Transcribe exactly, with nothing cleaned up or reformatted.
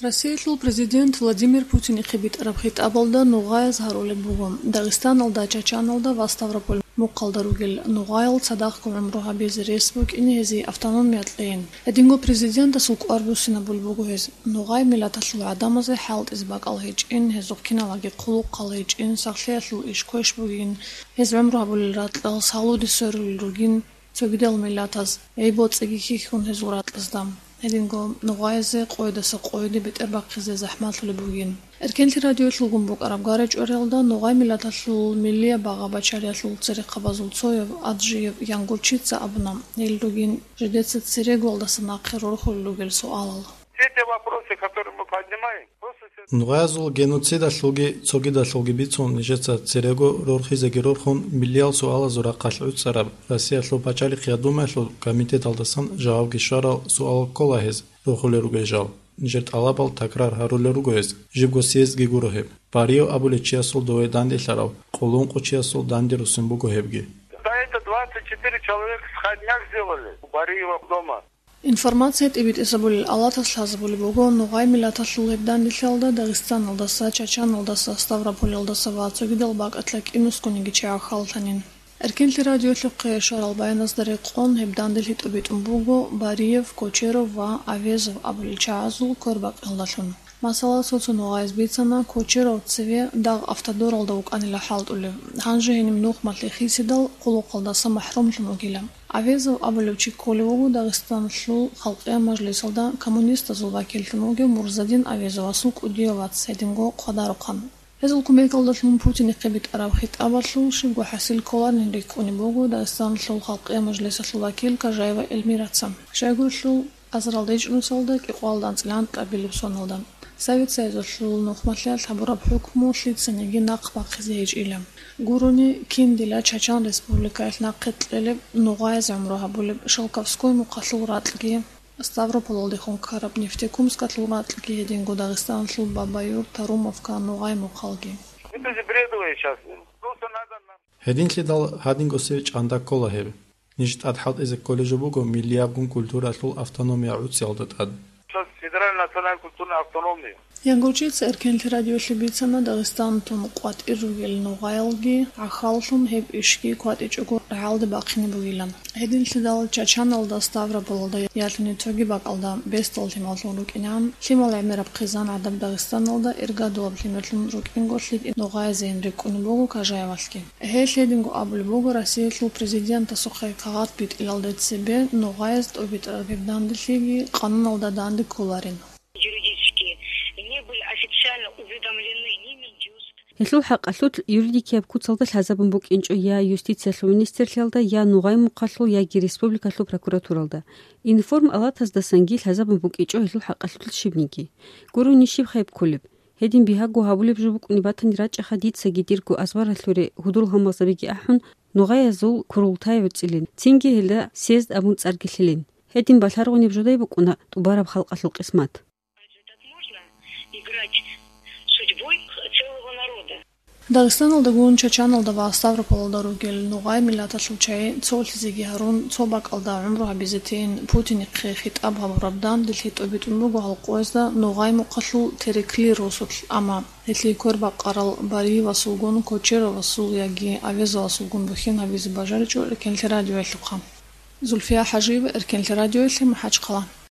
Россиялъул президент Владимир Путинихъе битӀараб хитӀабалда нугъаяз гьарулеб буго, Дагъистаналда, Чачаналда ва Ставрополь мухъалда ругел нугъаял цадахъго гӀумру гьабизе рес букӀине гьезие автономия кьейин. Гьединго президентасул кӀвар буссинабулеб буго гьез: нугъай миллаталъул гӀадамазе хӀалтӀизе бакӀал гьечӀин, гьезухъ киналаги хъулухъал гьечӀин, сахлъиялъул иш квеш бугин, гьез гӀумру гьабулел ракьалъ гьалуде сверулел ругин, цогидал миллатаз гӀи-боцӀиги хьихьун гьезул ракьазда. Гьединго нугъаязе къойдаса къойде бетӀербахъизе захӀмалъулеб бугин. Эркенлъи радиоялъулгун букӀараб гъарачӀвариялда нугъай миллаталъул миллияб багъа-бачариялъул церехъабазул цояв Аджиев Янгурчица абуна, гьел ругин жидеца церегоялдаса нахъе рорхулел ругел суалал. Все те вопросы, которые мы поднимаем, просто се- Нугъаязул геноцидалъулги цогидалъулги бицун нижеца церего рорхизеги рорхун, миллиял суалазул рахъалъ гӀуцӀараб Россиялъул пачалихъ я Думаялъул комитеталдасан жавабги щварал суалал ккола гьез рорхулел ругел жал. Нижер тӀалабал такрар гьарулел руго гьез, жибго съездги гуро гьеб. Бариев абулев чиясул дове данделъарав, къуллункъо чиясул данде руссин буго гьебги. За это двадцать четыре человека сходняк сделали у Бариева дома. Информация тӀибитӀизабулел алатас лъазабулеб буго, нугъай миллаталъул гьеб данделъиялда Дагъистаналдаса, Чачаналдаса, Ставрополялдаса ва цогидал бакӀалда кинусгониги чи гӀахьаллъанин. Эркенлъи радиоялъухъе щварал баяназда рекъон, гьеб данделъи тӀубитӀун буго Бариев, Кочеров ва Авезов абулел чагӀазул квербакъиялдалъун. Масала, цо-цо нугъаяз бицана, Кочеров цеве дагъ автодоралда вукӀанила хӀалтӀулев, гьанже гьениб нухмалъе хисидал, хъулухъалдаса махӀрумлъун вугила. Авезов абулев чи кколев вуго Дагъистаналъул Халкъиял мажлисалда коммунистазул вакиллъун вугев Мурзадин Авезовасул кӀудияв вац, гьединго хъвадарухъан. Гьезул кумекалдалъун Путинихъе битӀараб хитӀабалъул щибго хӀасил кколарин рикӀкӀунеб буго Дагъистаналъул Халкъиял мажлисалъул вакил Кажаева Эльмираца. Щайгурелъул, азарилда ичӀнусалда кӀикъоялда анцӀила анкьабилеб соналда, Совет Союзалъул нухмалъиялъ гьабураб хӀукму лъицаниги нахъ бахъизе гьечӀила. Гурони, кин дила Чачан Республикаялъ нахъе кьелеб, нугъаяз гӀумру гьабулеб Шелковской мухъалъул ракьги, Ставрополалдехун ккараб Нефтекумскалъул ракьги, гьединго Дагъистаналъул Бабаюрт, Тарумовка, Нугъай мухъалги. Это же бредовое сейчас. Просто надо нам Гьединлъидал гьадинго сир чӀанда ккола гьеб. Ниж тӀад хӀалтӀизе кколеб жо буго миллиябгун культуралъул автономия гӀуцӀиялда тӀад. Сейчас федеральная национальная культурная автономия. Янгурчица Эркенлъи радиоялъе бицана, Дагъистантун къватӀир ругел нугъаялги гӀахьаллъун гьеб ишги кватӀичӀого рагӀалде бахъине бугилан. Гьединлъидал Чачаналда, Ставрополалда ялъуни цоги бакӀалда бесдал лъималлъун рукӀинегӀан, лъимал гӀемераб хъизан гӀадаб Дагъистаналда иргадулаб лъимерлъун рукӀинго лъикӀ нугъаязейин рикӀкӀунеб буго Кажаевалъги. Гьелъ гьединго абулеб буго Россиялъул президентасухъе кагъат битӀилалде цебе нугъаяз тӀубитӀараб гьеб данделъиги къануналда данде кколарин. Юридически не были официально уведомлены ни Минюст. Гьелъул хӀакъалъулъ юридикияб куцалда лъазабун букӀинчӀо я юстициялъул министрлъиялда, я Нугъай мухъалъул, яги республикалъул прокуратуралда. Информ алатаздасанги лъазабун букӀичӀо гьелъул хӀакъалъулъ щибниги. Гурони щиб хайб кколеб? Гьедин бигьаго гьабулеб жо букӀунеб батани рачӀаха дицаги дирго азбаралъуре гьудул-гьалмагъзабиги ахӀун, нугъаязул курултай гӀуцӀилин, цинги гьелда съезд абун цӀарги лъилин. Гьедин балъаргъунеб жодай букӀуна тӀубараб халкъалъул къисмат. Разве так можно играть судьбой целого народа? Дагъистаналдагун Чачаналда ва Ставрополалда ругел нугъай миллаталъул чагӀи цолъизеги гьарун, цо бакӀалда гӀумру гьабизе тейин Путинихъе хитӀаб гьабураб данделъи тӀубитӀун буго гьал къоязда Нугъай мухъалъул Терекли росулъ, амма гьелъие квербакъарал Бариевасулгун, Кочеровасул яги Авезовасулгун бухьин гьабизе бажаричӀо Эркенлъи радиоялъухъа. Зульфия ХӀажиева, Эркенлъи радиоялъе, МахӀачхъала.